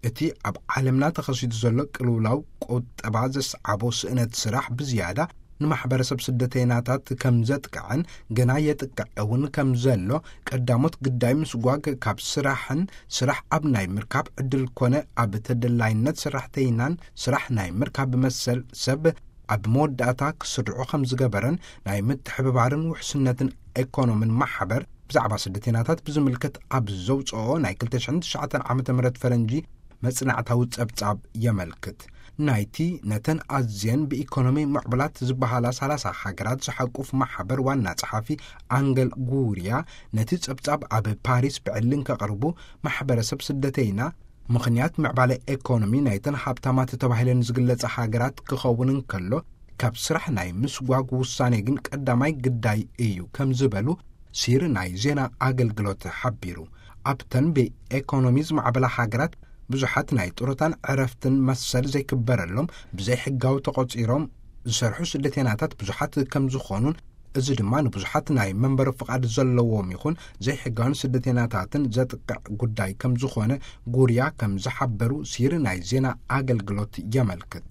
እቲ ኣብ ዓለምና ተኸሲቱ ዘሎ ቅልውላው ቁጠባ ዘስዓቦ ስእነት ስራሕ ብዝያዳ ንማሕበረሰብ ስደተይናታት ከም ዘጥቅዕን ገና የጥቅዕ እውን ከም ዘሎ፣ ቀዳሞት ግዳይ ምስጓግ ካብ ስራሕን ስራሕ ኣብ ናይ ምርካብ ዕድል ኮነ ኣብ ተደላይነት ሰራሕተይናን ስራሕ ናይ ምርካብ መሰል ሰብ ኣብ መወዳእታ ክስርዑ ከም ዝገበረን ናይ ምትሕብባርን ውሕስነትን ኤኮኖምን ማሕበር ብዛዕባ ስደተይናታት ብዝምልከት ኣብ ዘውፅኦ ናይ ክልተ ሽሕን ትሽዓተን ዓመተ ምህረት ፈረንጂ መጽናዕታዊ ጸብጻብ የመልክት። ናይቲ ነተን ኣዝየን ብኢኮኖሚ ምዕቡላት ዝበሃላ ሰላሳ ሃገራት ዝሓቁፍ ማሕበር ዋና ጸሓፊ ኣንገል ጉርያ፣ ነቲ ጸብጻብ ኣብ ፓሪስ ብዕሊ እንከቕርቡ፣ ማሕበረሰብ ስደተይና ምኽንያት ምዕባለ ኤኮኖሚ ናይተን ሃብታማት ተባሂለን ዝግለጻ ሃገራት ክኸውን እንከሎ፣ ካብ ስራሕ ናይ ምስጓግ ውሳኔ ግን ቀዳማይ ግዳይ እዩ ከም ዝበሉ ሲር ናይ ዜና ኣገልግሎት ሓቢሩ። ኣብተን ብኤኮኖሚ ዝማዕበላ ሃገራት ብዙሓት ናይ ጡረታን ዕረፍትን መሰል ዘይክበረሎም ብዘይሕጋዊ ተቖጺሮም ዝሰርሑ ስደተይናታት ብዙሓት ከም ዝኾኑን፣ እዚ ድማ ንብዙሓት ናይ መንበሪ ፍቓድ ዘለዎም ይኹን ዘይሕጋውን ስደተይናታትን ዘጥቅዕ ጉዳይ ከም ዝኾነ ጉርያ ከም ዝሓበሩ ሲር ናይ ዜና ኣገልግሎት የመልክት።